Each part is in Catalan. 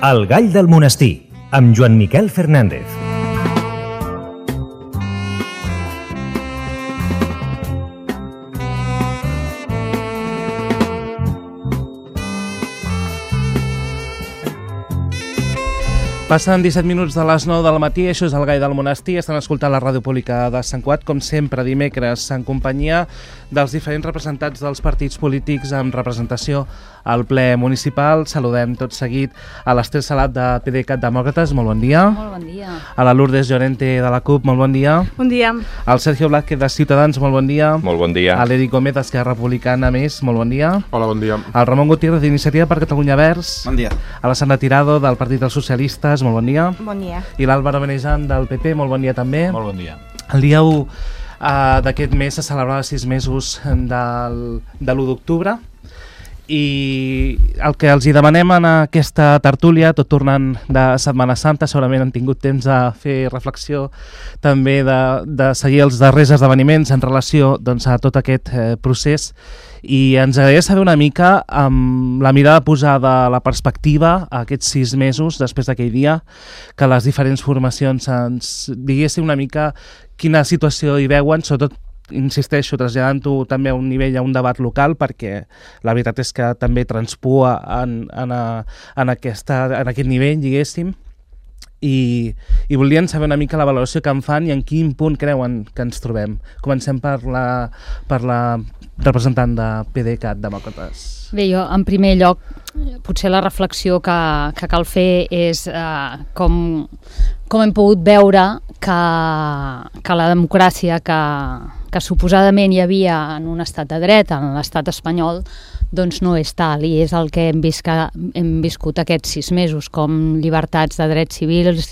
El gall del monestir, amb Joan Miquel Fernández. Passen 17 minuts de les 9 del matí, això és el Gall del Monestir, estan escoltant la ràdio pública de Sant Cugat, com sempre dimecres, en companyia dels diferents representants dels partits polítics amb representació al ple municipal. Saludem tot seguit a l'Ester Salat de PDeCAT Demòcrates, molt bon dia. Molt bon dia. A la Lourdes Llorente de la CUP, molt bon dia. Bon dia. Al Sergio Blázquez de Ciutadans, molt bon dia. Molt bon dia. A l'Eric Gómez d'Esquerra Republicana, més, molt bon dia. Hola, bon dia. Al Ramon Gutiérrez d'Iniciativa per Catalunya Verds. Bon dia. A la Sandra Tirado del Partit dels Socialistes, molt bon dia. Bon dia. I l'Àlvaro Benejan del PP, molt bon dia també. Molt bon dia. El dia 1 d'aquest mes se celebrava 6 mesos de l'1 d'octubre i el que els hi demanem en aquesta tertúlia, tot tornant de Setmana Santa, segurament han tingut temps de fer reflexió també de seguir els darrers esdeveniments en relació doncs, a tot aquest procés, i ens agradaria saber una mica amb la mirada posada a la perspectiva a aquests 6 mesos després d'aquell dia, que les diferents formacions ens diguessin una mica quina situació hi veuen, sobretot insisteixo, traslladant-ho també a un nivell, a un debat local, perquè la veritat és que també transpua en aquest nivell, diguéssim, i volien saber una mica la valoració que en fan i en quin punt creuen que ens trobem. Comencem per la representant de PDeCAT Demòcrates. Bé, jo, en primer lloc, potser la reflexió que cal fer és com hem pogut veure que la democràcia que suposadament hi havia en un estat de dret, en l'estat espanyol, doncs no és tal, i és el que hem viscut aquests 6 mesos, com llibertats de drets civils,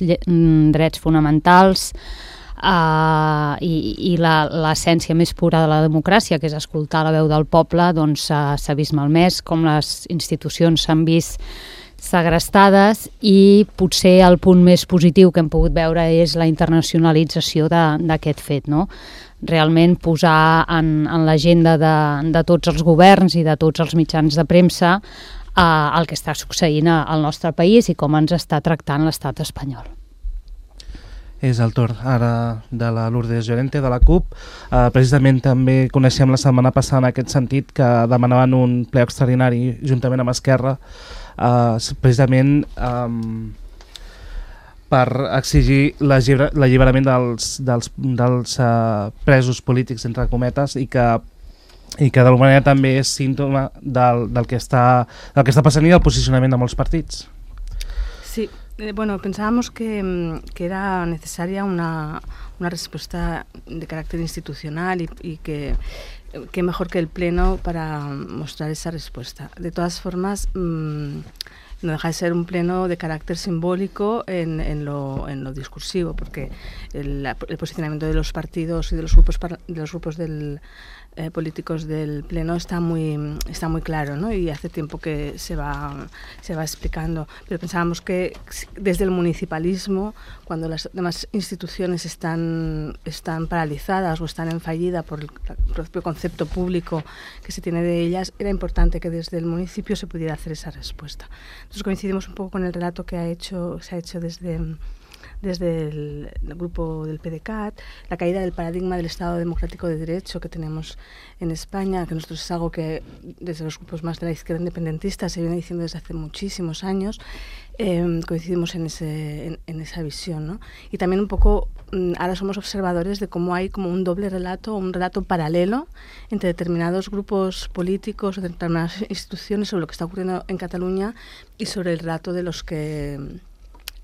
drets fonamentals, i l'essència més pura de la democràcia, que és escoltar la veu del poble, doncs s'ha vist malmès, com les institucions s'han vist segrestades, i potser el punt més positiu que hem pogut veure és la internacionalització d'aquest fet, no? Realment posar en l'agenda de tots els governs i de tots els mitjans de premsa el que està succeint al nostre país i com ens està tractant l'estat espanyol. És el torn ara de la Lourdes Llorente de la CUP. Precisament també coneixem la setmana passada en aquest sentit que demanaven un ple extraordinari juntament amb Esquerra, precisament per exigir l'alliberament dels presos polítics, entre cometes, i que d'alguna manera també és símptoma del que està passant i del posicionament de molts partits. Sí, bueno, pensábamos que era necesaria una respuesta de carácter institucional y que mejor que el Pleno para mostrar esa respuesta. De todas formas, no deja de ser un pleno de carácter simbólico en lo discursivo, porque el posicionamiento de los partidos y de los grupos políticos del pleno está muy claro, ¿no? Y hace tiempo que se va explicando, pero pensábamos que desde el municipalismo, cuando las demás instituciones están paralizadas o están en fallida por el propio concepto público que se tiene de ellas, era importante que desde el municipio se pudiera hacer esa respuesta. Entonces coincidimos un poco con el relato que se ha hecho desde el grupo del PDeCAT, la caída del paradigma del Estado democrático de derecho que tenemos en España, que nosotros es algo que desde los grupos más de la izquierda independentista se viene diciendo desde hace muchísimos años. Coincidimos en esa visión, ¿no? Y también un poco ahora somos observadores de cómo hay como un doble relato, un relato paralelo entre determinados grupos políticos o determinadas instituciones sobre lo que está ocurriendo en Cataluña y sobre el relato de los que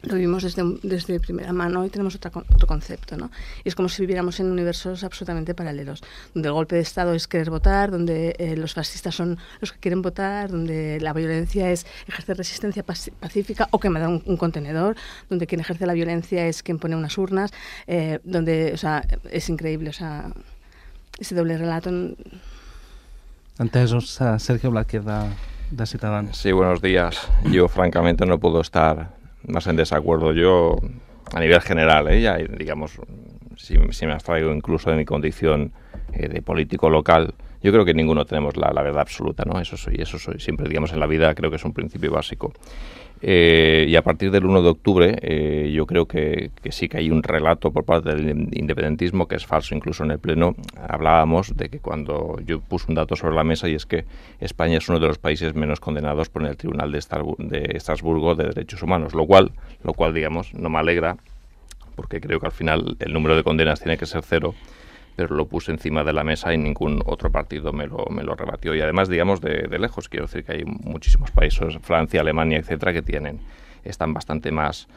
lo vivimos desde primera mano y tenemos otro concepto, ¿no? Y es como si viviéramos en universos absolutamente paralelos, donde el golpe de Estado es querer votar, donde los fascistas son los que quieren votar, donde la violencia es ejercer resistencia pacífica o quemar un contenedor, donde quien ejerce la violencia es quien pone unas urnas, donde, o sea, es increíble, o sea, ese doble relato. Entesos, Sergio Blázquez de Ciutadans. Sí, buenos días. Yo francamente no puedo estar más en desacuerdo. Yo, a nivel general, ya, digamos, si me abstraigo incluso de mi condición de político local, Yo creo que ninguno tenemos la verdad absoluta, ¿no? Eso soy siempre, digamos, en la vida creo que es un principio básico. Y a partir del 1 de octubre yo creo que sí que hay un relato por parte del independentismo que es falso. Incluso en el Pleno hablábamos de que cuando yo puse un dato sobre la mesa, y es que España es uno de los países menos condenados por el Tribunal de Estrasburgo de Derechos Humanos, lo cual, digamos, no me alegra, porque creo que al final el número de condenas tiene que ser 0, pero lo puse encima de la mesa y ningún otro partido me lo rebatió. Y además, digamos, de lejos, quiero decir que hay muchísimos países, Francia, Alemania, etcétera, que están bastante más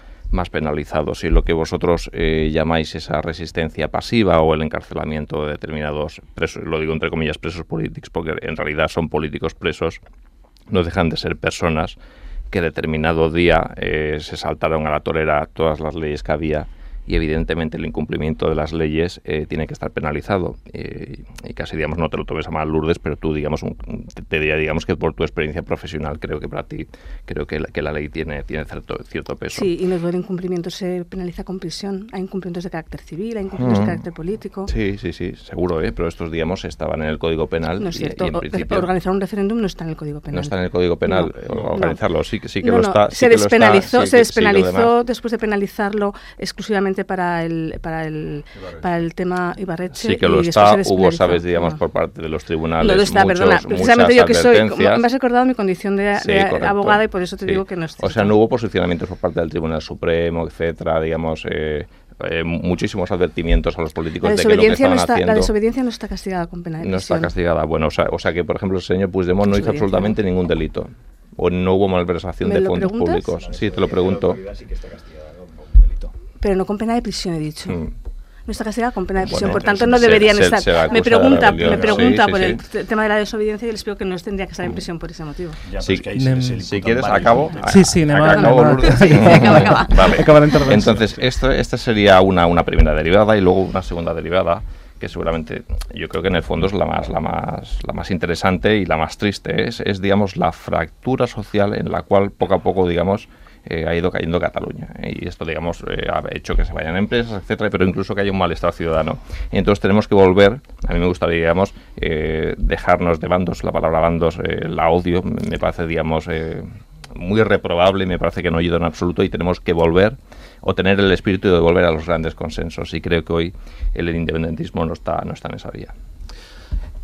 penalizados. Y lo que vosotros llamáis esa resistencia pasiva o el encarcelamiento de determinados presos, lo digo entre comillas presos políticos, porque en realidad son políticos presos, no dejan de ser personas que determinado día se saltaron a la torera todas las leyes que había, y evidentemente el incumplimiento de las leyes tiene que estar penalizado. Y casi, digamos, no te lo tomes a mal, Lourdes, pero tú, digamos, te diría, digamos, que por tu experiencia profesional creo que para ti, creo que la ley tiene cierto peso. Sí, y no todo el incumplimiento se penaliza con prisión. Hay incumplimientos de carácter civil, hay incumplimientos de carácter político. Sí, seguro, pero estos, digamos, estaban en el Código Penal. No es cierto, y en principio, organizar un referéndum no está en el Código Penal. No está en el Código Penal, organizarlo, sí que no, lo está. Se despenalizó después de penalizarlo exclusivamente para el tema Ibarretxe. Sí que lo está, hubo, sabes, digamos, por parte de los tribunales. No lo está, perdona. Precisamente yo que soy, me has recordado mi condición de abogada, y por eso te digo que no es cierto. O sea, no hubo posicionamientos por parte del Tribunal Supremo, etcétera, digamos, muchísimos advertimientos a los políticos de que lo que estaban haciendo. La desobediencia no está castigada con pena de prisión. No está castigada. Bueno, o sea que, por ejemplo, el señor Puigdemont no hizo absolutamente ningún delito. O no hubo malversación de fondos públicos. Sí, te lo pregunto. Pero no con pena de prisión, he dicho. No está castigada con pena de prisión, por tanto no deberían estar. Me pregunta por el tema de la desobediencia, y les explico que no tendría que estar en prisión por ese motivo. Si quieres, acabo. Acaba la intervención. Entonces, esta sería una primera derivada, y luego una segunda derivada, que seguramente yo creo que en el fondo es la más interesante y la más triste. Es digamos, la fractura social en la cual poco a poco, digamos, ha ido cayendo Cataluña, y esto, digamos, ha hecho que se vayan empresas, etcétera, pero incluso que haya un malestar ciudadano. Y entonces tenemos que volver, a mí me gustaría, digamos, dejarnos de bandos, la palabra bandos la odio, me parece, digamos, muy reprobable, y me parece que no ayuda en absoluto, y tenemos que volver, o tener el espíritu de volver a los grandes consensos, y creo que hoy el independentismo no está en esa vía.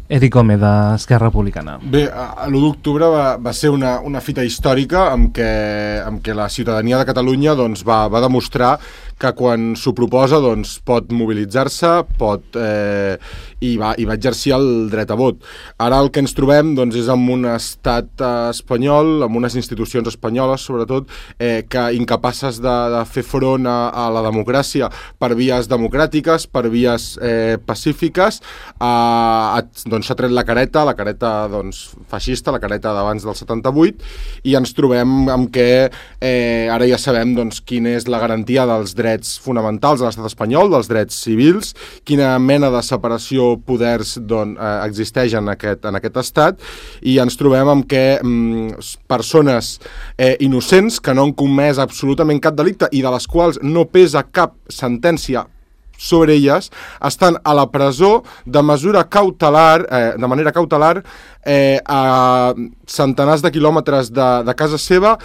Eric Gómez, d'Esquerra Republicana. Bé, l'1 d'octubre va ser una fita històrica amb què la ciutadania de Catalunya doncs, va demostrar que quan s'ho proposa doncs, pot mobilitzar-se i va exercir el dret a vot. Ara el que ens trobem doncs, és amb un estat espanyol, amb unes institucions espanyoles sobretot, que incapaces de fer front a la democràcia per vies democràtiques, per vies pacífiques, doncs s'ha tret la careta doncs, feixista, la careta d'abans del 78, i ens trobem amb que ara ja sabem doncs, quina és la garantia dels drets fonamentals de l'estat espanyol, dels drets civils, quina mena de separació poders existeix en aquest estat, i ens trobem amb que persones innocents que no han comès absolutament cap delicte i de les quals no pesa cap sentència sobre elles, estan a la presó de manera cautelar a centenars de quilòmetres de casa seva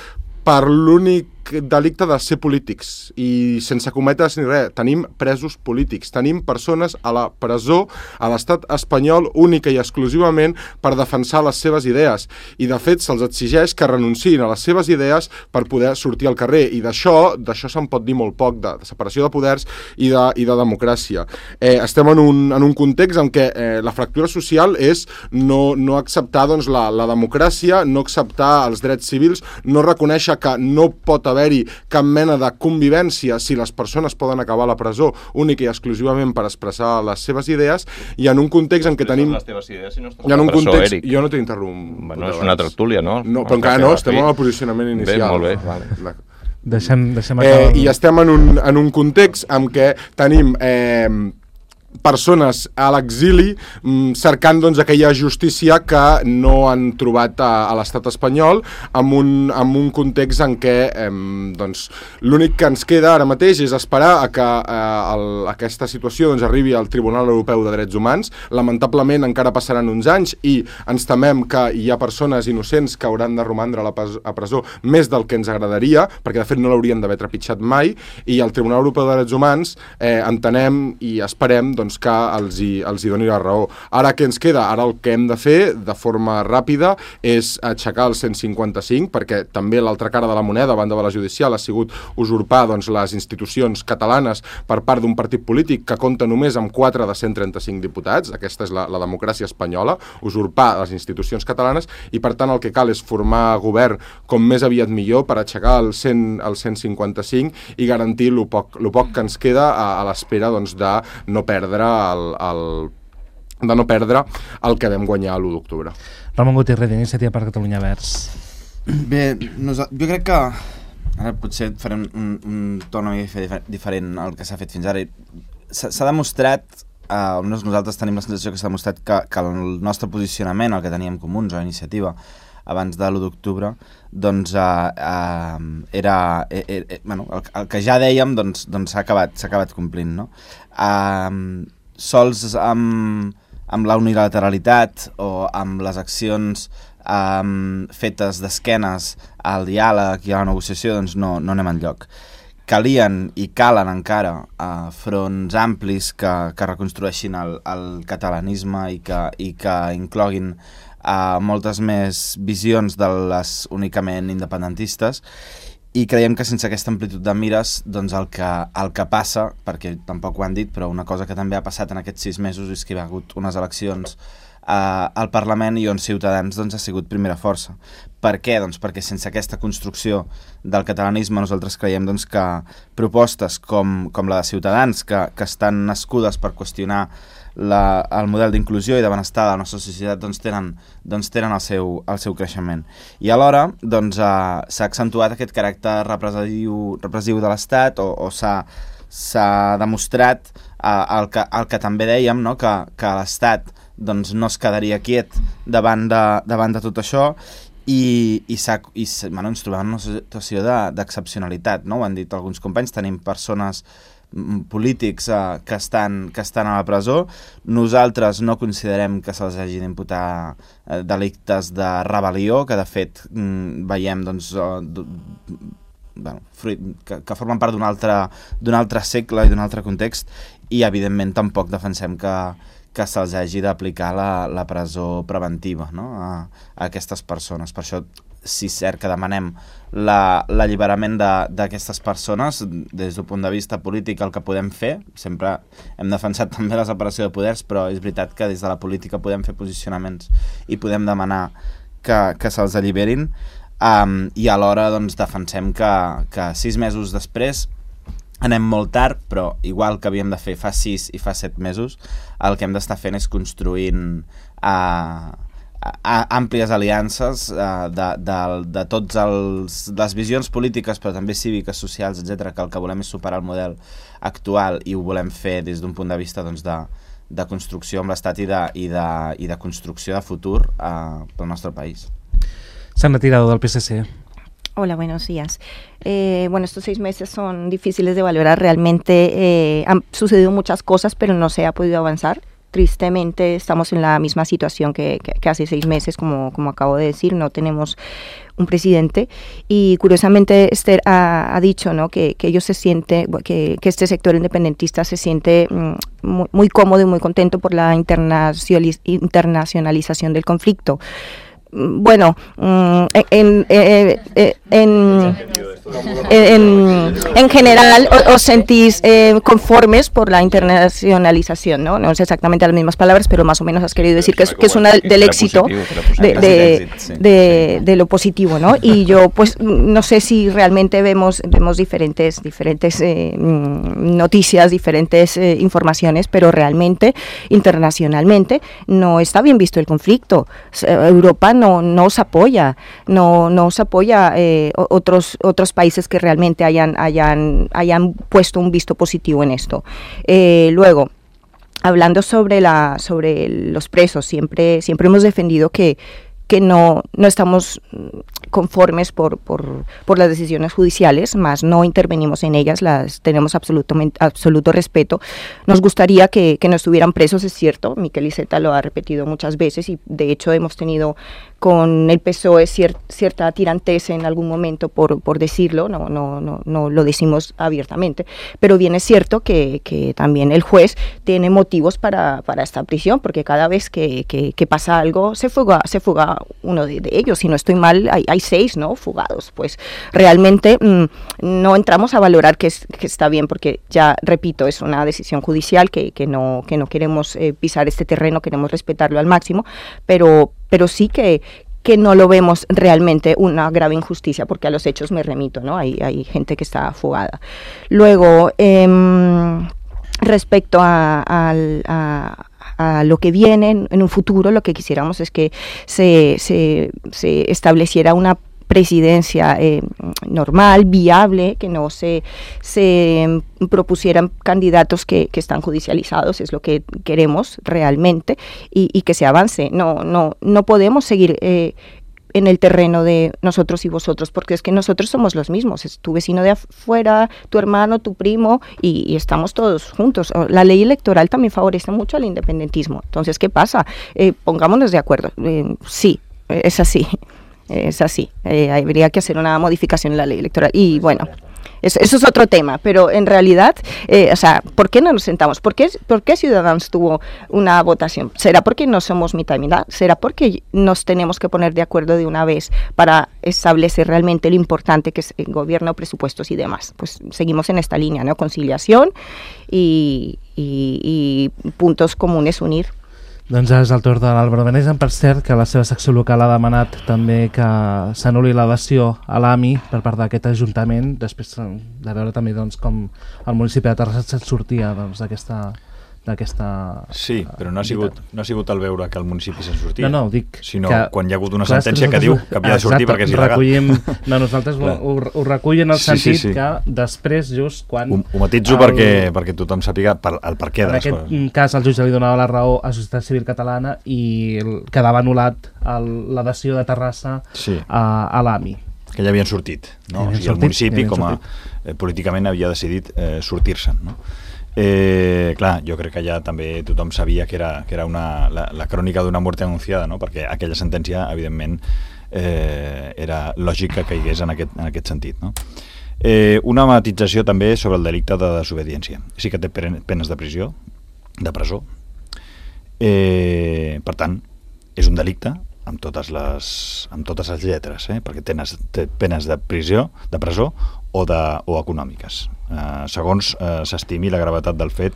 per l'únic delicte de ser polítics, i sense cometre ni res. Tenim presos polítics, tenim persones a la presó a l'estat espanyol única i exclusivament per defensar les seves idees, i de fet se'ls exigeix que renunciïn a les seves idees per poder sortir al carrer, i d'això se'n pot dir molt poc, de separació de poders i de democràcia. Estem en un context en què la fractura social és no acceptar doncs, la democràcia, no acceptar els drets civils, no reconèixer que no pot haver-hi cap mena de convivència si les persones poden acabar a la presó única i exclusivament per expressar les seves idees, i en un context en què tenim... Les teves idees si no estàs a la presó, Eric. Jo no t'he interromput. Bueno, és una tertúlia, no? No, però encara no, estem en el posicionament inicial. Bé, molt bé, vale. Deixem acabar... I estem en un context en què tenim persones a l'exili cercant doncs, aquella justícia que no han trobat a l'estat espanyol amb un context en què doncs, l'únic que ens queda ara mateix és esperar a que aquesta situació doncs, arribi al Tribunal Europeu de Drets Humans. Lamentablement encara passaran uns anys i ens temem que hi ha persones innocents que hauran de romandre a presó més del que ens agradaria, perquè de fet no l'haurien d'haver trepitjat mai, i el Tribunal Europeu de Drets Humans entenem i esperem doncs, que els hi doni la raó. Ara què ens queda? Ara el que hem de fer de forma ràpida és aixecar el 155, perquè també l'altra cara de la moneda, a banda de la judicial, ha sigut usurpar doncs, les institucions catalanes per part d'un partit polític que compta només amb 4 de 135 diputats. Aquesta és la democràcia espanyola, usurpar les institucions catalanes, i per tant el que cal és formar govern com més aviat millor per aixecar el 155 i garantir el poc que ens queda a l'espera doncs, de no perdre el que vam guanyar l'1 d'octubre. Ramon Gutiérrez, d'Iniciativa per Catalunya Verds. Bé, jo crec que ara potser farem un torn una mica diferent al que s'ha fet fins ara. S'ha demostrat, nosaltres tenim la sensació que s'ha demostrat que el nostre posicionament, el que teníem comuns a Iniciativa abans de l'1 d'octubre, doncs era el que ja dèiem doncs s'ha acabat complint, no? Sols amb la unilateralitat o amb les accions fetes d'esquenes al diàleg i a la negociació, doncs no anem enlloc. Calien i calen encara fronts amplis que reconstrueixin el catalanisme i que incloguin moltes més visions de les únicament independentistes, i creiem que sense aquesta amplitud de mires doncs el que passa, perquè tampoc ho han dit, però una cosa que també ha passat en aquests 6 mesos és que hi ha hagut unes eleccions al Parlament i on Ciutadans doncs, ha sigut primera força. Per què? Doncs perquè sense aquesta construcció del catalanisme nosaltres creiem doncs, que propostes com la de Ciutadans, que estan nascudes per qüestionar el model d'inclusió i de benestar de la nostra societat, doncs tenen el seu creixement. I alhora doncs, s'ha accentuat aquest caràcter repressiu de l'Estat, o s'ha demostrat el que també dèiem, no? que l'Estat doncs, no es quedaria quiet davant de tot això, i ens trobem en una situació d'excepcionalitat, no? Ho han dit alguns companys, tenim persones polítics que estan a la presó. Nosaltres no considerem que se'ls hagi d'imputar delictes de rebel·lió, que de fet veiem doncs, que formen part d'un altre segle i d'un altre context, i evidentment tampoc defensem que se'ls hagi d'aplicar la presó preventiva, no? a aquestes persones. Per això sí és cert que demanem l'alliberament d'aquestes persones. Des d'un punt de vista polític el que podem fer, sempre hem defensat també la separació de poders, però és veritat que des de la política podem fer posicionaments i podem demanar que se'ls alliberin, i alhora doncs, defensem que 6 mesos després anem molt tard, però igual que havíem de fer fa 6 i fa 7 mesos, el que hem d'estar fent és construint àmplies aliances de totes les visions polítiques, però també cíviques, socials, etc., que el que volem és superar el model actual, i ho volem fer des d'un punt de vista doncs, de construcció amb l'Estat i de construcció de futur pel nostre país. Sandra Tirado, del PSC. Hola, buenos días. Estos 6 meses son difíciles de valorar. Realmente han sucedido muchas cosas, pero no se ha podido avanzar. Tristemente estamos en la misma situación que hace 6 meses, como acabo de decir. No tenemos un presidente, y curiosamente Esther ha dicho, ¿no? que ellos se sienten, que este sector independentista se siente muy cómodo y muy contento por la internacionalización del conflicto. Bueno, en general os sentís conformes por la internacionalización, ¿no? No es exactamente las mismas palabras, pero más o menos has querido decir que es una del éxito de lo positivo, ¿no? Y yo pues no sé si realmente vemos diferentes noticias, diferentes informaciones, pero realmente internacionalmente no está bien visto el conflicto. Europa no os apoya, no os apoya otros países que realmente hayan puesto un visto positivo en esto. Luego, hablando sobre los presos, siempre hemos defendido que no estamos conformes por las decisiones judiciales, más no intervenimos en ellas, las tenemos absoluto respeto. Nos gustaría que no estuvieran presos, es cierto, Miquel Iceta lo ha repetido muchas veces y de hecho hemos tenido con el PSOE cierta tirantez en algún momento por decirlo, no lo decimos abiertamente, pero bien es cierto que también el juez tiene motivos para esta prisión, porque cada vez que pasa algo se fuga uno de ellos, si no estoy mal hay 6, ¿no?, fugados, pues realmente no entramos a valorar que está bien, porque ya repito, es una decisión judicial que no queremos pisar este terreno, queremos respetarlo al máximo, pero sí que no lo vemos realmente una grave injusticia, porque a los hechos me remito, ¿no? Hay gente que está fugada. Luego, respecto a lo que viene en un futuro, lo que quisiéramos es que se estableciera una presidencia normal, viable, que no se propusieran candidatos que están judicializados, es lo que queremos realmente, y que se avance. No podemos seguir en el terreno de nosotros y vosotros, porque es que nosotros somos los mismos, es tu vecino de afuera, tu hermano, tu primo, y estamos todos juntos. La ley electoral también favorece mucho al independentismo. Entonces, ¿qué pasa? Pongámonos de acuerdo. Sí, es así. Es así, habría que hacer una modificación en la ley electoral y bueno, eso es otro tema, pero en realidad, ¿por qué no nos sentamos? ¿Por qué Ciudadanos tuvo una votación? ¿Será porque no somos mitad y mitad? ¿Será porque nos tenemos que poner de acuerdo de una vez para establecer realmente lo importante que es el gobierno, presupuestos y demás? Pues seguimos en esta línea, ¿no? Conciliación y puntos comunes unir. Doncs és el torn de l'Àlvaro Benesen. Per cert, que la seva secció local ha demanat també que s'anul·li la dació a l'AMI per part d'aquest Ajuntament, després de veure també doncs, com el municipi de Terrassa se'n sortia doncs, d'aquesta... Sí, però no ha sigut el veure que el municipi se'n sortia, no, dic sinó que, quan hi ha hagut una sentència que diu que havia de sortir perquè és il·legal. Nosaltres ho recullen en el sentit que després, just quan... Ho matitzo perquè tothom sàpiga el per què de les coses. En aquest cas, el jutge li donava la raó a Societat Civil Catalana i quedava anul·lat la dació de Terrassa a l'AMI. Que ja havien sortit, no? O sigui, el municipi, com a políticament, havia decidit sortir-se'n, no? Clar, jo crec que ja també tothom sabia que era la crònica d'una mort anunciada, no? Perquè aquella sentència, evidentment, era lògic que caigués en aquest sentit, no? Una matització també sobre el delicte de desobediència. Sí que té penes de presó. Per tant, és un delicte amb totes les lletres, perquè té penes de presó o econòmiques, segons s'estimi la gravetat del fet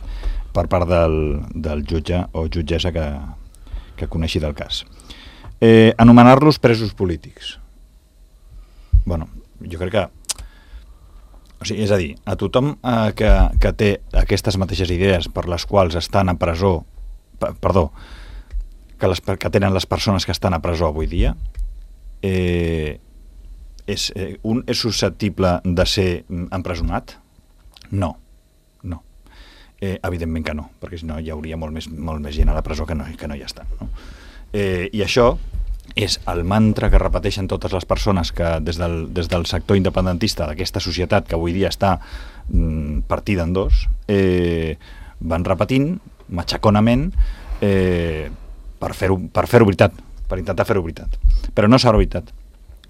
per part del jutge o jutgessa que coneixi del cas. Anomenar-los presos polítics. Bueno, jo crec que... O sigui, és a dir, a tothom que té aquestes mateixes idees per les quals estan a presó... Perdó, que tenen les persones que estan a presó avui dia, un és susceptible de ser empresonat? No. Evidentment que no, perquè si no hi hauria molt més gent a la presó que no hi estan, no? I això és el mantra que repeteixen totes les persones que des del sector independentista d'aquesta societat que avui dia està partida en dos, van repetint matxaconament per fer-ho veritat, per intentar fer-ho veritat. Però no serà veritat,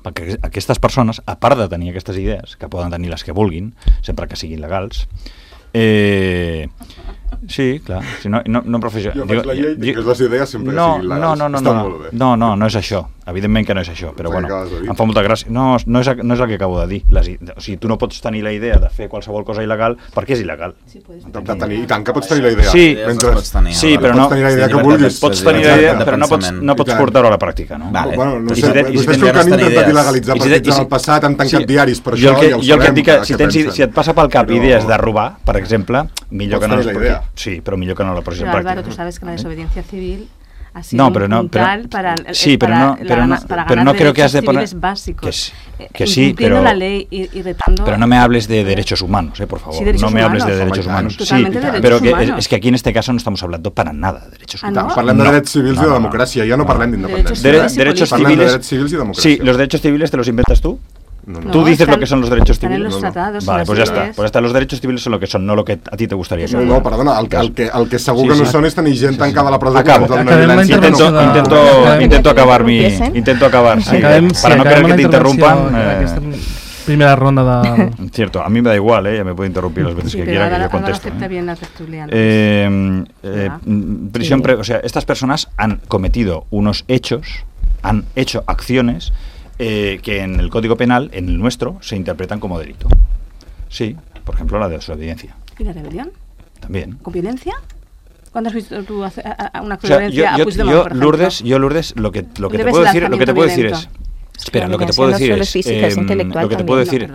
perquè aquestes persones, a part de tenir aquestes idees, que poden tenir les que vulguin, sempre que siguin legals, sí, clar, si no professió... Jo faig la llei que les idees sempre siguin legals. No és això. Evidentment que no és això, però bueno, em fa molta gràcia. No és el que acabo de dir. O sigui, tu no pots tenir la idea de fer qualsevol cosa il·legal perquè és il·legal. I tant que pots tenir la idea. Sí, però no... Pots tenir la idea que vulguis. Pots tenir la idea, però no pots portar-ho a la pràctica, no? Bueno, no sé, vostès que han intentat il·legalitzar partits en el passat, han tancat diaris per això, ja ho sabem. Jo el que et dic que si et passa pel cap idees de robar, per exemple, millor que no les... Sí, pero millor que no la posición práctica. Álvaro, tú sabes que la desobediencia civil ha sido un puntal para no creo que has de poner básicos. Que sí, pero la ley y retando. Pero no me hables de derechos humanos, por favor. Sí, no me hables de derechos humanos. Totalmente de derechos pero humanos. Es que aquí en este caso no estamos hablando para nada de derechos humanos. No? Parlem de drets civils i de democràcia, ja no parlem d'independència. Derechos Parlem de civiles. drets civils i democràcia. Sí, los derechos civiles te los inventas tú. No. Tú dices lo que son los derechos están en civiles. los tratados. Vale, pues ya está. Pues hasta los derechos civiles son lo que son, no lo que a ti te gustaría. No, perdona, el que segur que no són és tenir gent tancada a la presó. Acabo. Intento acabar mi... Intento acabar, sí. Para no querer que te interrumpan... Primera ronda de... Cierto, a mí me da igual, ya me puede interrumpir las veces que quiera que yo contesto. Acepta bien la tertulia. Prisión o sea, estas personas han cometido unos hechos, han hecho acciones que en el Código Penal, en el nuestro, se interpretan como delito. Sí, por ejemplo, la desobediencia. ¿Y la rebelión? También. ¿Con violencia? ¿Cuándo has visto tú una acción de violencia a Puigdemont, por ejemplo? Lourdes, lo que te puedo decir es... Espera, lo que te puedo decir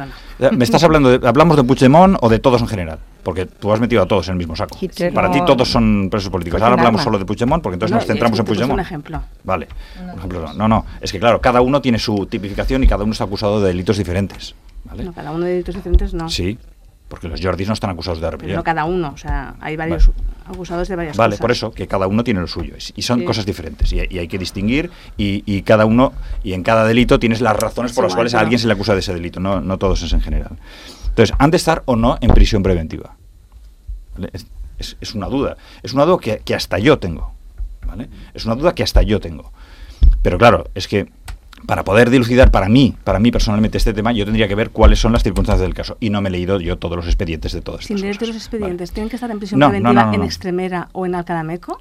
me estás hablamos de Puigdemont o de todos en general, porque tú has metido a todos en el mismo saco. Para ti todos son presos políticos. Ahora hablamos solo de Puigdemont, porque entonces nos centramos en Puigdemont. Un ejemplo. Vale. Un ejemplo. No, es que claro, cada uno tiene su tipificación y cada uno está acusado de delitos diferentes. ¿Vale? No, cada uno de delitos diferentes no. Sí. Porque los Jordis no están acusados de rebelión. Pero no cada uno, o sea, hay varios acusados de varias cosas. Vale, por eso, que cada uno tiene lo suyo, y son cosas diferentes, y hay que distinguir, y cada uno, y en cada delito tienes las razones por las cuales a alguien se le acusa de ese delito, no todos es en general. Entonces, han de estar o no en prisión preventiva. ¿Vale? Es una duda que hasta yo tengo, ¿vale? Es una duda que hasta yo tengo. Pero claro, es que para poder dilucidar para mí personalmente este tema, yo tendría que ver cuáles son las circunstancias del caso. Y no me he leído yo todos los expedientes de todas estas cosas. Sin leerte los expedientes, ¿tienen que estar en prisión preventiva en Extremera o en Alcalameco?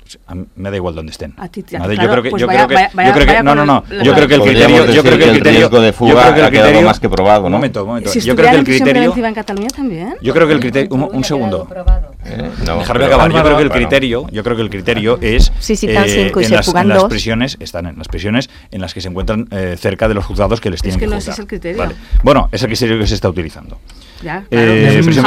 Me da igual dónde estén. A ti, yo creo que el criterio... Yo creo que el riesgo de fuga ha quedado más que probado, ¿no? Un momento. Si estuviera en prisión preventiva en Cataluña también. Yo creo que el criterio... Un segundo. Dejarme acabar. Yo creo que el criterio es... en las prisiones, están en las prisiones en las que se encuentran cerca de los juzgados que les tienen que juzgar. Es que no es el criterio. Bueno, es el criterio que se está utilizando. Ya, claro.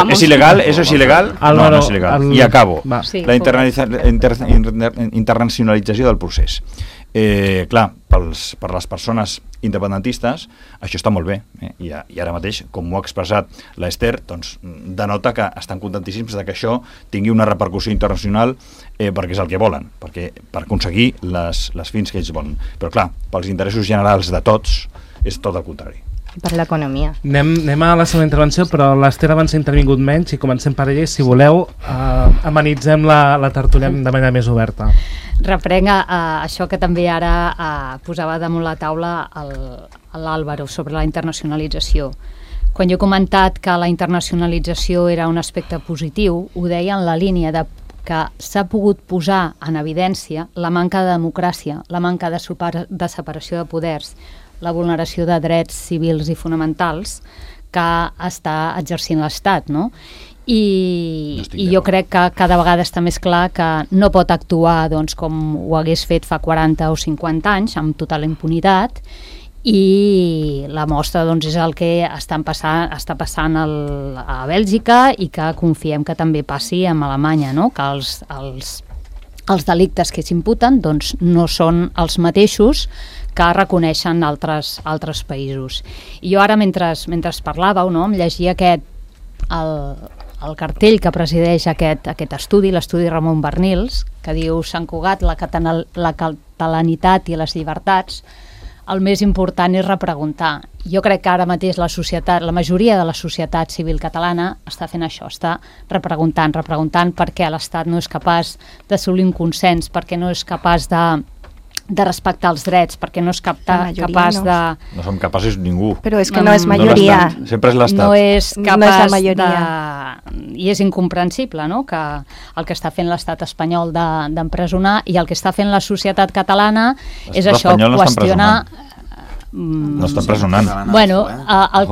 ¿Es ilegal? ¿Eso es ilegal? Álvaro, no es ilegal. I acabo. Sí, la internacionalització del procés. Clar, per les persones independentistes això està molt bé, i ara mateix, com ho ha expressat l'Ester, doncs denota que estan contentíssims de que això tingui una repercussió internacional, perquè és el que volen, per aconseguir les fins que ells volen. Però clar, pels interessos generals de tots és tot el contrari. Per l'economia. Anem a la segona intervenció, però l'Ester abans ha intervingut menys i comencem per ella, i si voleu amenitzem la tertúlia de manera més oberta. Reprenc això que també ara posava damunt la taula l'Àlvaro sobre la internacionalització. Quan jo he comentat que la internacionalització era un aspecte positiu, ho deia en la línia de que s'ha pogut posar en evidència la manca de democràcia, la manca de separació de poders, la vulneració de drets civils i fonamentals que està exercint l'Estat, no? I jo crec que cada vegada està més clar que no pot actuar doncs, com ho hagués fet fa 40 o 50 anys, amb total impunitat, i la mostra doncs, és el que està passant a Bèlgica i que confiem que també passi amb Alemanya, no? Que els delictes que s'imputen doncs, no són els mateixos que reconeixen altres països. I jo ara, mentre parlàveu, no, em llegia el cartell que presideix aquest estudi, l'estudi Ramon Barnils, que diu Sant Cugat, la catalanitat i les llibertats. El més important és repreguntar. Jo crec que ara mateix la majoria de la societat civil catalana està fent això, està repreguntant per què l'Estat no és capaç d'assolir un consens, perquè no és capaç de respectar els drets, perquè no és capaç de... No som capaços ningú. Però és que no és majoria. Sempre és l'Estat. No és capaç de... I és incomprensible, no?, que el que està fent l'Estat espanyol d'empresonar i el que està fent la societat catalana és això, qüestionar... No està empresonant. Bueno, el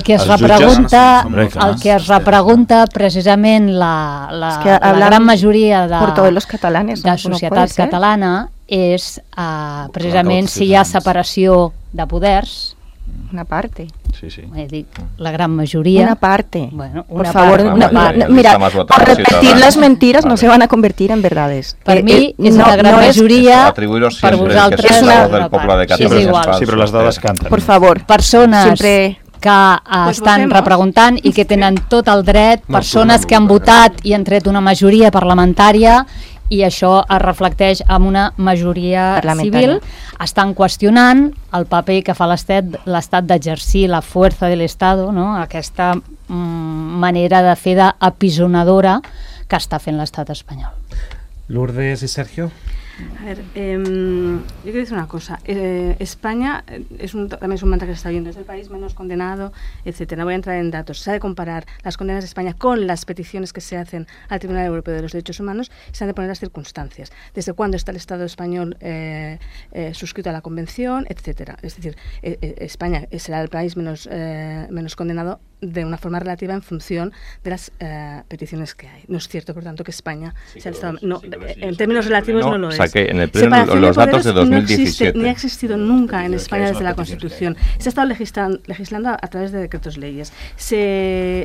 que es repregunta precisament la gran majoria de societat catalana és precisament si hi ha separació de poders Una parte. Sí, sí. La gran majoria. Una parte. Bueno, por favor, una parte. Mira, por repetir las mentiras no se van a convertir en verdades. Per mi és la gran majoria, per vosaltres és la del poble de Catalunya. És igual. Sí, però les dades canten. Por favor. Persones que estan repreguntant i que tenen tot el dret, persones que han votat i han tret una majoria parlamentària, i això es reflecteix en una majoria civil, estan qüestionant el paper que fa l'Estat d'exercir la fuerza del Estado, no? Aquesta manera de fer d'apisonadora que està fent l'Estat espanyol. Lourdes y Sergio. A ver, yo quiero decir una cosa. España también es un mantra que se está viendo, es el país menos condenado, etcétera. No voy a entrar en datos. Se ha de comparar las condenas de España con las peticiones que se hacen al Tribunal Europeo de los Derechos Humanos, se han de poner las circunstancias. Desde cuándo está el Estado español suscrito a la Convención, etcétera. Es decir, España será el país menos condenado de una forma relativa en función de las peticiones que hay. No es cierto, por tanto, que España sea el Estado... en términos relativos no lo es. Que en el pleno los datos de 2017. No ni ha existido nunca en España desde la Constitución. Se ha estado legislando a través de decretos leyes. Se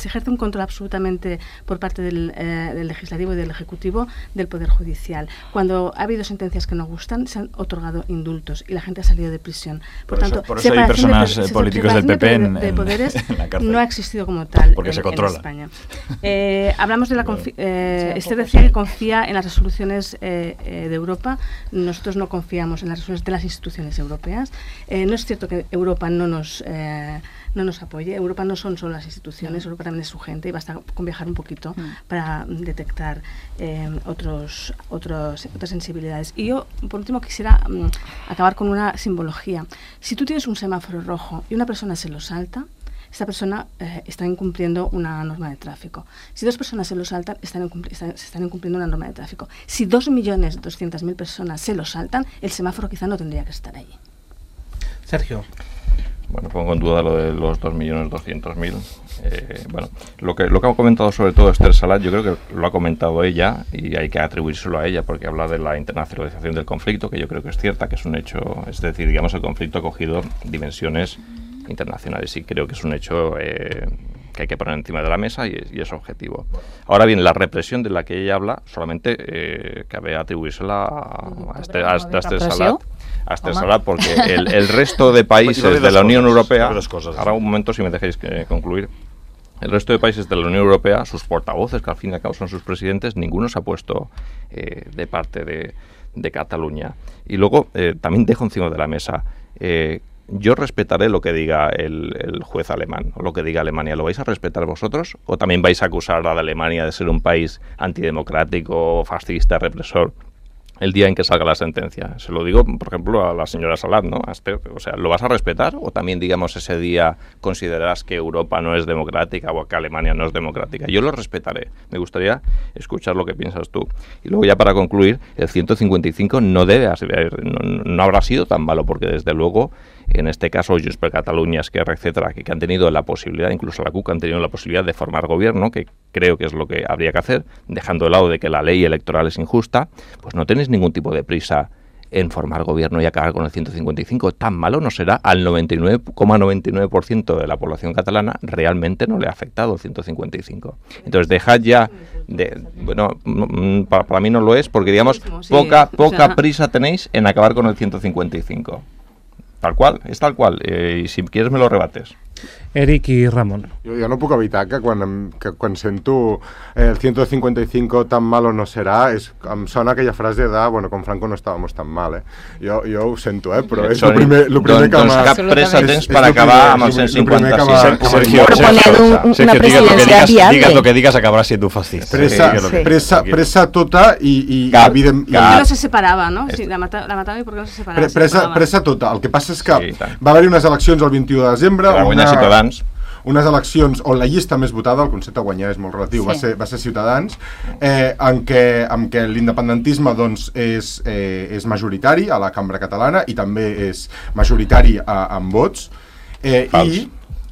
ejerce un control absolutamente por parte del Legislativo y del Ejecutivo del Poder Judicial. Cuando ha habido sentencias que no gustan, se han otorgado indultos y la gente ha salido de prisión. Por tanto, eso hay personas políticos del PP de poderes en la cárcel. No ha existido como tal porque se controla. En España. Hablamos de la este decía que confía en las resoluciones de Europa. Nosotros no confiamos en las resoluciones de las instituciones europeas. No es cierto que Europa no nos apoye. Europa no son solo las instituciones, Europa también es su gente y basta con viajar un poquito para detectar otras sensibilidades. Y yo, por último, quisiera acabar con una simbología. Si tú tienes un semáforo rojo y una persona se lo salta, esta persona está incumpliendo una norma de tráfico. Si dos personas se lo saltan, se están incumpliendo una norma de tráfico. Si 2.200.000 personas se lo saltan, el semáforo quizá no tendría que estar allí. Sergio. Bueno, pongo en duda lo de los 2.200.000. Bueno, lo que ha comentado sobre todo Esther Salat, yo creo que lo ha comentado ella y hay que atribuírselo a ella porque habla de la internacionalización del conflicto, que yo creo que es cierta, que es un hecho, es decir, digamos, el conflicto ha cogido dimensiones internacionales y creo que es un hecho que hay que poner encima de la mesa y es objetivo. Ahora bien, la represión de la que ella habla solamente cabe atribuírsela a Esther Salat. A Esther Salat, porque el resto de países de la Unión Europea, ahora un momento si me dejéis concluir, el resto de países de la Unión Europea, sus portavoces, que al fin y al cabo son sus presidentes, ninguno se ha puesto de parte de Cataluña. Y luego también dejo encima de la mesa, yo respetaré lo que diga el juez alemán o lo que diga Alemania. ¿Lo vais a respetar vosotros? ¿O también vais a acusar a Alemania de ser un país antidemocrático, fascista, represor el día en que salga la sentencia? Se lo digo, por ejemplo, a la señora Salat, ¿no? A Esther, o sea, ¿lo vas a respetar? ¿O también, digamos, ese día considerarás que Europa no es democrática o que Alemania no es democrática? Yo lo respetaré. Me gustaría escuchar lo que piensas tú. Y luego ya para concluir, el 155 no habrá sido tan malo, porque desde luego, en este caso, Junts per Catalunya, Esquerra, etcétera, que han tenido la posibilidad, incluso la CUC han tenido la posibilidad de formar gobierno, que creo que es lo que habría que hacer, dejando de lado de que la ley electoral es injusta, pues no tenéis ningún tipo de prisa en formar gobierno y acabar con el 155. Tan malo no será. Al 99,99% de la población catalana realmente no le ha afectado el 155. Entonces dejad ya bueno, para mí no lo es, porque digamos, poca prisa tenéis en acabar con el 155. Tal qual, és tal qual, i si quieres me lo rebates. Eric i Ramon. Jo no puc evitar que quan sento el 155 tan malo no serà, em sona aquella frase de, bueno, con Franco no estábamos tan mal, Jo ho sento, però és el primer que doncs cap pressa tens per acabar amb el 156. Sergio, una presidencia viable. Digas lo que digas, acabará siendo fascista. Pressa tota i evident... ¿Por qué no se separava, no? Si la matava i per què no se separava? Pressa tota. El que passa és que va haver-hi unes eleccions el 21 de desembre, Ciutadans. Unes eleccions on la llista més votada, el concepte de guanyar és molt relatiu, va ser Ciutadans, en què l'independentisme doncs, és majoritari a la cambra catalana i també és majoritari en vots. Fals.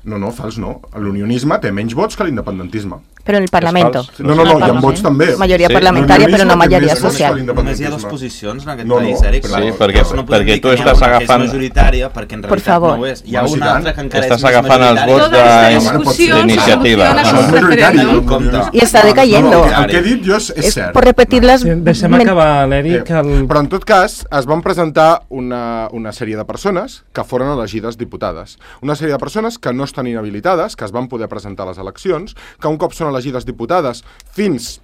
No, fals no. L'unionisme té menys vots que l'independentisme. Pero en el Parlamento. No, hi ha vots també. Majoria parlamentària, però no majoria social. Només hi ha dues posicions en aquest No, país, no. Eric. Sí, perquè tu estàs agafant... És majoritària, perquè en realitat no ho és. Hi ha Bueno, sí, una tant. altra que encara és Estàs més agafant els vots d'iniciativa. No compta. Y está decayendo. El que he dit jo és cert. Por repetir las... Deixem acabar, l'Eric. Però en tot cas, es van presentar una sèrie de persones que foren elegides diputades. Una sèrie de persones que no estan inhabilitades, que es van poder presentar a les eleccions, que un cop són elegides diputades fins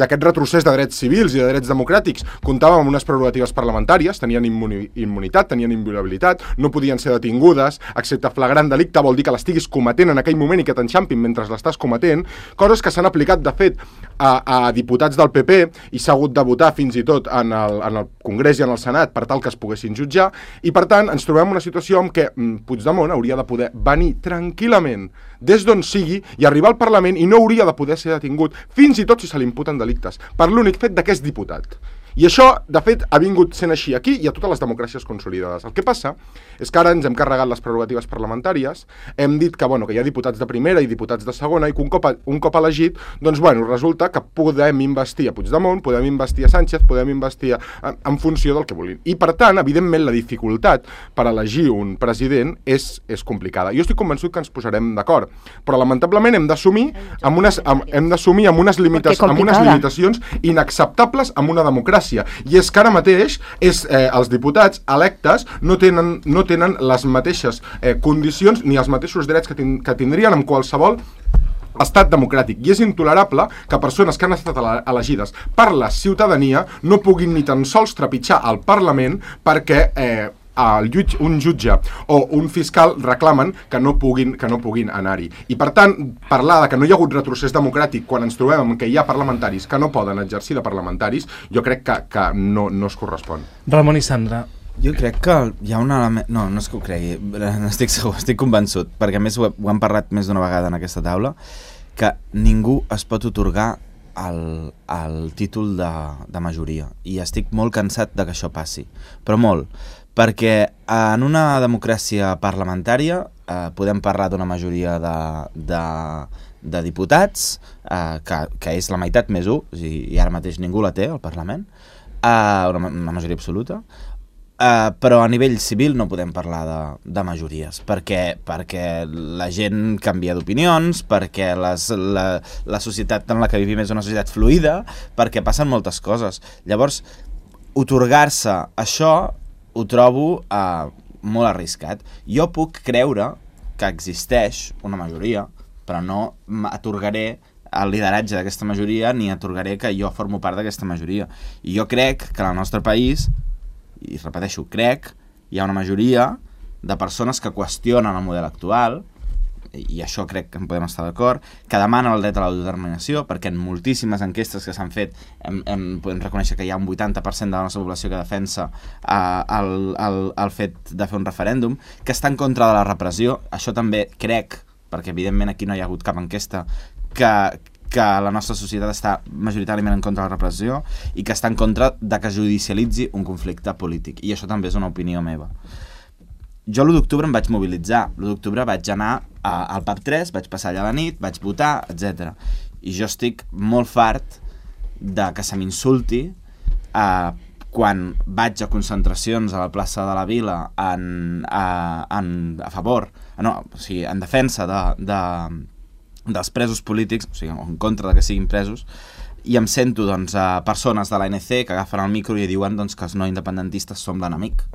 a aquest retrocés de drets civils i de drets democràtics, comptàvem amb unes prerrogatives parlamentàries, tenien immunitat, tenien inviolabilitat, no podien ser detingudes, excepte flagrant delicte, vol dir que l'estiguis cometent en aquell moment i que t'enxampin mentre l'estàs cometent, coses que s'han aplicat, de fet, a diputats del PP i s'ha hagut de votar fins i tot en el Congrés i en el Senat per tal que es poguessin jutjar, i per tant ens trobem en una situació en què Puigdemont hauria de poder venir tranquil·lament des d'on sigui i arribar al Parlament i no hauria de poder ser detingut, fins i tot si se li imputen delictes, per l'únic fet que és diputat. I això, de fet, ha vingut sent així aquí i a totes les democràcies consolidades. El que passa és que ara ens hem carregat les prerrogatives parlamentàries, hem dit que hi ha diputats de primera i diputats de segona i que un cop elegit, doncs resulta que podem investir a Puigdemont, podem investir a Sánchez, podem investir en funció del que vulguin. I per tant, evidentment, la dificultat per elegir un president és complicada. Jo estic convençut que ens posarem d'acord, però lamentablement hem d'assumir amb unes limitacions inacceptables amb una democràcia. I és que ara mateix els diputats electes no tenen les mateixes condicions ni els mateixos drets que tindrien en qualsevol estat democràtic. I és intolerable que persones que han estat elegides per la ciutadania no puguin ni tan sols trepitjar al Parlament perquè un jutge o un fiscal reclamen que no puguin anar-hi. I per tant, parlar de que no hi ha hagut retrocés democràtic quan ens trobem que hi ha parlamentaris que no poden exercir de parlamentaris, jo crec que no es correspon. Ramon i Sandra. Jo crec que hi ha un element... No és que ho cregui, estic segur, estic convençut, perquè a més ho hem parlat més d'una vegada en aquesta taula, que ningú es pot atorgar el títol de majoria. I estic molt cansat de que això passi, però molt. Perquè en una democràcia parlamentària podem parlar d'una majoria de diputats, que és la meitat més 1, i ara mateix ningú la té al Parlament, una majoria absoluta, però a nivell civil no podem parlar de majories, perquè la gent canvia d'opinions, perquè la societat en la que vivim és una societat fluida, perquè passen moltes coses. Llavors, atorgar-se això ho trobo molt arriscat. Jo puc creure que existeix una majoria, però no atorgaré el lideratge d'aquesta majoria ni atorgaré que jo formo part d'aquesta majoria. I jo crec que en el nostre país, i repeteixo, hi ha una majoria de persones que qüestionen el model actual, i això crec que en podem estar d'acord, que demanen el dret a l'autodeterminació, perquè en moltíssimes enquestes que s'han fet podem reconèixer que hi ha un 80% de la nostra població que defensa el fet de fer un referèndum, que està en contra de la repressió. Això també crec, perquè evidentment aquí no hi ha hagut cap enquesta, que la nostra societat està majoritàriament en contra de la repressió i que està en contra de que judicialitzi un conflicte polític. I això també és una opinió meva. Jo l'1 d'octubre em vaig mobilitzar. L'1 d'octubre vaig anar al pub 3, vaig passar allà la nit, vaig votar, etc. I jo estic molt fart de que se m'insulti quan vaig a concentracions a la plaça de la Vila en defensa dels presos polítics, o sigui, en contra de que siguin presos, i em sento persones de l'ANC que agafen el micro i diuen que els no independentistes som l'enemic,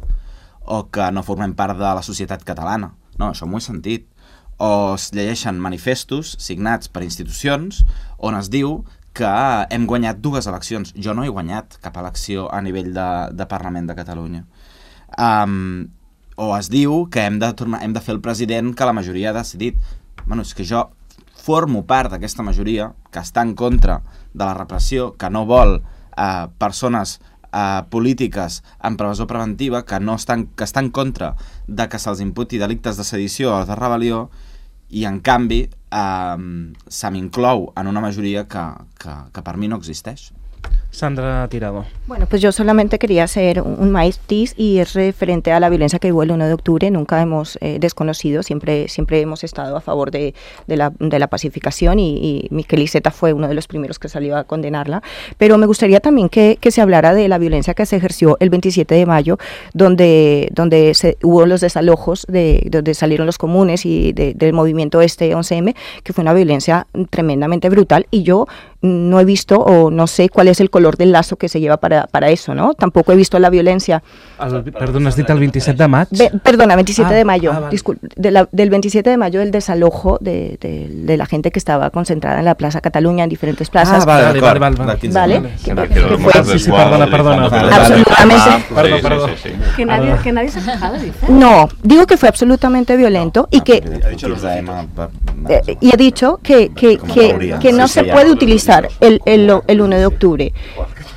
o que no formem part de la societat catalana. No, això m'ho he sentit. O es llegeixen manifestos signats per institucions on es diu que hem guanyat 2 eleccions. Jo no he guanyat cap elecció a nivell de Parlament de Catalunya. O es diu que hem de fer el president que la majoria ha decidit. Bueno, és que jo formo part d'aquesta majoria que està en contra de la repressió, que no vol persones polítiques en presó preventiva, que està en contra de que se'ls imputi delictes de sedició o de rebel·lió, i en canvi se m'inclou en una majoria que per mi no existeix. Sandra Tirado. Bueno, pues yo solamente quería hacer un matiz y es referente a la violencia que hubo el 1 de octubre. Nunca hemos desconocido, siempre hemos estado a favor de la pacificación y Miquel Iceta fue uno de los primeros que salió a condenarla. Pero me gustaría también que se hablara de la violencia que se ejerció el 27 de mayo, donde hubo los desalojos, donde salieron los comunes y del movimiento 11M, que fue una violencia tremendamente brutal, y yo no he visto o no sé cuál es el color del lazo que se lleva para eso, ¿no? Tampoco he visto la violencia. Perdona, has dit el 27 de maig? Perdona, 27 de mayo. Vale. Del 27 de mayo, el desalojo de la gente que estaba concentrada en la Plaza Cataluña, en diferentes plazas. Vale. Perdona. Absolutamente. Perdón. Que nadie se ha fijado, dice. No, digo que fue absolutamente violento y que... y he dicho que no se puede utilizar el 1 de octubre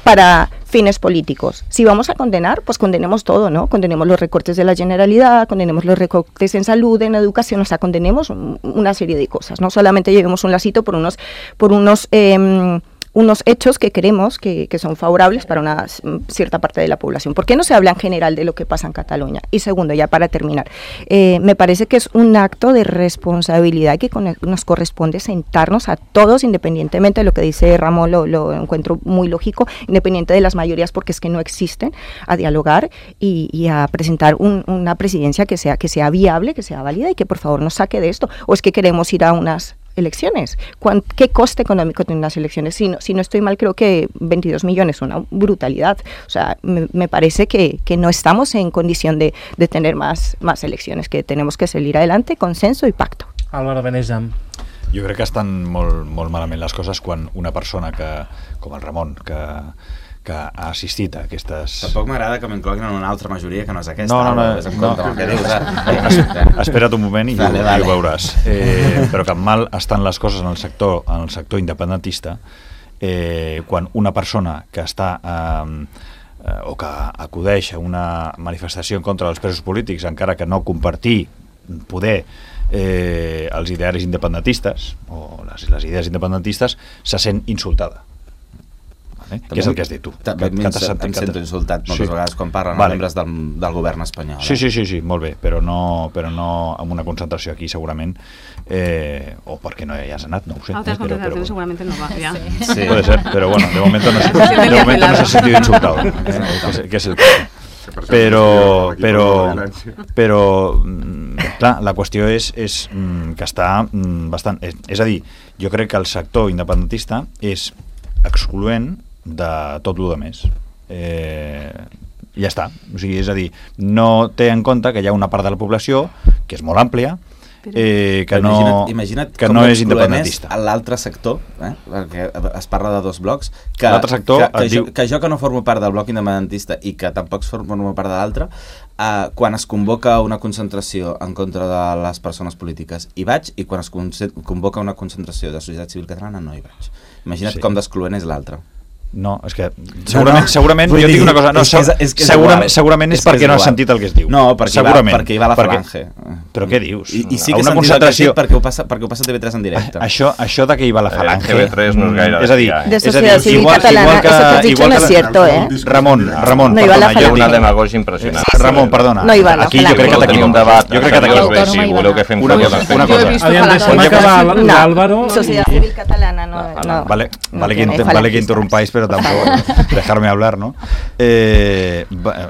para fines políticos. Si vamos a condenar, pues condenemos todo, ¿no? Condenemos los recortes de la Generalidad, condenemos los recortes en salud, en educación, o sea, condenemos una serie de cosas. No solamente llevemos un lacito por unos hechos que creemos que son favorables para una cierta parte de la población. ¿Por qué no se habla en general de lo que pasa en Cataluña? Y segundo, ya para terminar, me parece que es un acto de responsabilidad que nos corresponde sentarnos a todos, independientemente de lo que dice Ramón, lo encuentro muy lógico, independiente de las mayorías, porque es que no existen, a dialogar y a presentar una presidencia que sea viable, que sea válida y que por favor nos saque de esto. ¿O es que queremos ir a unas elecciones? ¿Qué coste económico tienen las elecciones? Si no estoy mal, creo que 22 millones, una brutalidad. O sea, me parece que no estamos en condición de tener más elecciones, que tenemos que salir adelante, consenso y pacto. Álvaro Benejam. Jo crec que estan molt malament les coses quan una persona com el Ramon, que ha assistit a aquestes... Tampoc m'agrada que m'incloguin en una altra majoria que no és aquesta. Espera't un moment i ho veuràs. Però que mal estan les coses en el sector independentista quan una persona que està o que acudeix a una manifestació en contra dels presos polítics, encara que no compartir poder els idearis independentistes o les idees independentistes, se sent insultada. Què és el que has dit tu? Em sento insultat moltes vegades quan parlen els membres del govern espanyol. Sí, molt bé, però no amb una concentració aquí segurament, o perquè no hi has anat, no ho sé. Altres concentracions segurament no va, ja. Sí, puede ser, pero bueno, de momento no se ha sentido insultado, que es el caso. Però clar, la qüestió és que està bastant... És a dir, jo crec que el sector independentista és excloent de tot el més. Ja està. O sigui, és a dir, no té en compte que hi ha una part de la població que és molt àmplia, que no és independentista. L'altre sector, perquè es parla de dos blocs, que jo que no formo part del bloc independentista i que tampoc formo part de l'altre, quan es convoca una concentració en contra de les persones polítiques hi vaig, i quan es convoca una concentració de societat civil catalana no hi vaig. Imagina't com d'excloent és l'altre. No, és que segurament jo dic una cosa, segurament és perquè no has sentit el que es diu. No, perquè hi va la Falange. Però què dius? I sí que he sentit el que has dit perquè ho passa TV3 en directe. Això de que hi va la Falange... TV3 no és gaire... És a dir, de societat civil catalana, eso que has dicho no es cierto, Ramon, perdona, hi ha una demagogia impressionant. Ramon, perdona. No hi va la Falange. Jo crec que t'equivoques. Jo crec que t'equivoques. Si voleu que fem una cosa. Deixem acabar l'Álvaro. Societat civil catalana no. Vale que interrompáis, però tampoc dejar-me hablar, no? O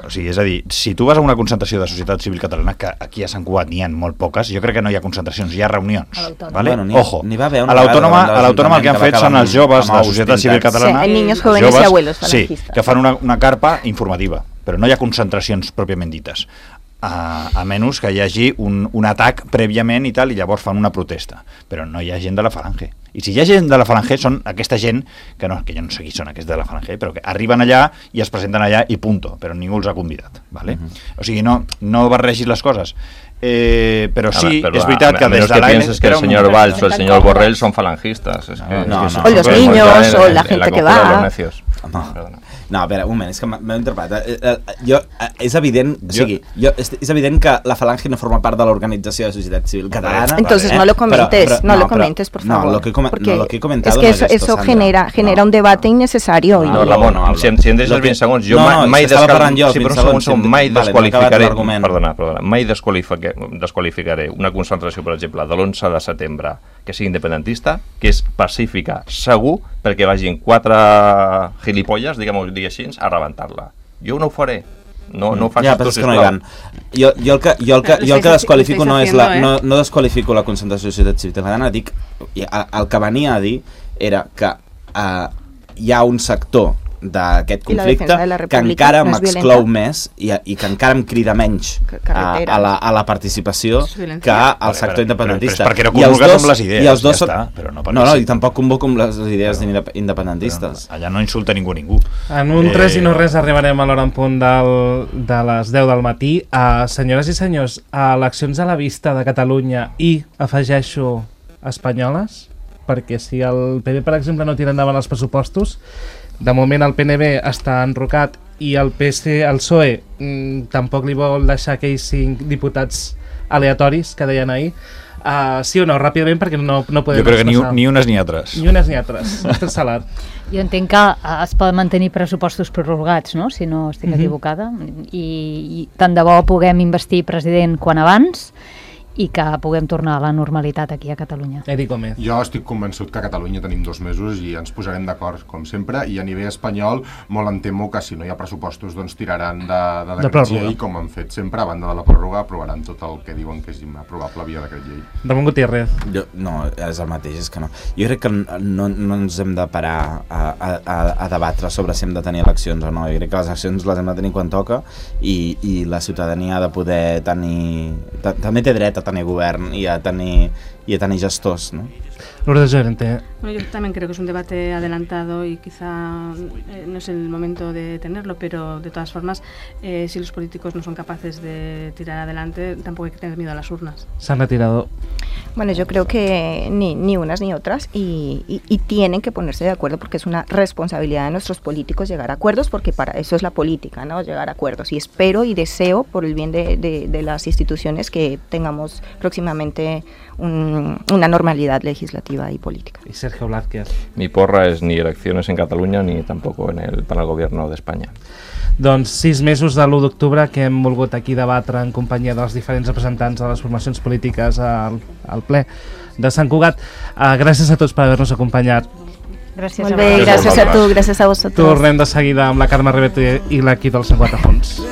sigui, és a dir, si tu vas a una concentració de societat civil catalana, que aquí a Sant Cugat n'hi ha molt poques, jo crec que no hi ha concentracions, hi ha reunions. Vale? Ojo, a l'Autònoma el que han fet són els joves de la societat civil catalana, niños, jóvenes y abuelos falangistas. Que fan una carpa informativa, però no hi ha concentracions pròpiament dites. A menys que hi hagi un atac prèviament i tal, i llavors fan una protesta, però no hi ha gent de la Falange. I si hi ha gent de la Falange són aquesta gent que jo no sé qui són aquests de la Falange, però que arriben allà i es presenten allà i punto, però ningú els ha convidat, vale? O sigui, no barregis les coses. Pero sí, es verdad que desde que pienses que el señor Valls o el señor Borrell son falangistas. O los niños, o la gente que va. No, a veure, un moment, és que m'heu interpretat. És evident, és evident que la Falange no forma part de l'organització de societat civil catalana. Entonces no lo comentes, por favor. No, lo que he comentado es que eso genera un debate innecesario. No, Ramon, si em deixes 20 segons, jo mai desqualificaré una concentració, per exemple, de l'11 de setembre que sigui independentista, que és pacífica, segur, perquè vagin 4 gilipolles, diguem-ho així, a rebentar-la. Jo no ho faré. No ho facis tu, sisplau. Jo el que desqualifico no desqualifico la concentració de societat civil catalana, dic, el que venia a dir era que hi ha un sector d'aquest conflicte que encara m'exclou més i que encara em crida menys a la participació que al sector independentista. És perquè no convoques amb les idees, ja està. No, i tampoc convoco amb les idees independentistes. Allà no insulta ningú. En un 3 i no res arribarem a l'hora en punt de les 10 del matí. Senyores i senyors, eleccions a la vista de Catalunya i, afegeixo, espanyoles, perquè si el PP, per exemple, no tira endavant els pressupostos, de moment el PNB està enrocat i el PSOE tampoc li vol deixar aquells 5 diputats aleatoris que deien ahir. Sí o no? Ràpidament, perquè no podem... Jo crec que ni unes ni altres. Ni unes ni altres. Estic salat. Jo entenc que es poden mantenir pressupostos prorrogats, no? Si no estic equivocada. I tant de bo puguem investir president quan abans i que puguem tornar a la normalitat aquí a Catalunya. Edi Gómez. Jo estic convençut que a Catalunya tenim 2 mesos i ens posarem d'acord, com sempre, i a nivell espanyol molt em temo que si no hi ha pressupostos doncs tiraran de decret llei, com han fet sempre, a banda de la pròrroga aprovaran tot el que diuen que és aprovable via decret llei. Ramon Gutiérrez. No, és el mateix, és que no. Jo crec que no ens hem de parar a debatre sobre si hem de tenir eleccions o no. Jo crec que les eleccions les hem de tenir quan toca i la ciutadania ha de poder tenir... També té dret a tenir govern i a tenir gestors, ¿no? Lourdes Llorente. Bueno, yo también creo que es un debate adelantado y quizá no es el momento de tenerlo, pero de todas formas, si los políticos no son capaces de tirar adelante, tampoco hay que tener miedo a las urnas. Se han retirado. Bueno, yo creo que ni unas ni otras y tienen que ponerse de acuerdo porque es una responsabilidad de nuestros políticos llegar a acuerdos, porque para eso es la política, ¿no? Llegar a acuerdos. Y espero y deseo, por el bien de las instituciones, que tengamos próximamente una normalidad legislativa y política. Y Sergio Blázquez. Mi porra és ni eleccions en Catalunya ni tampoc para el gobierno d'Espanya. Doncs 6 mesos de l'1 d'octubre que hem volgut aquí debatre en companyia dels diferents representants de les formacions polítiques al ple de Sant Cugat. Gràcies a tots per haver-nos acompanyat. Gràcies Molt bé, gràcies a tu, gràcies a vosaltres. Tornem de seguida amb la Carme Ribet i l'equip del 104 Fons.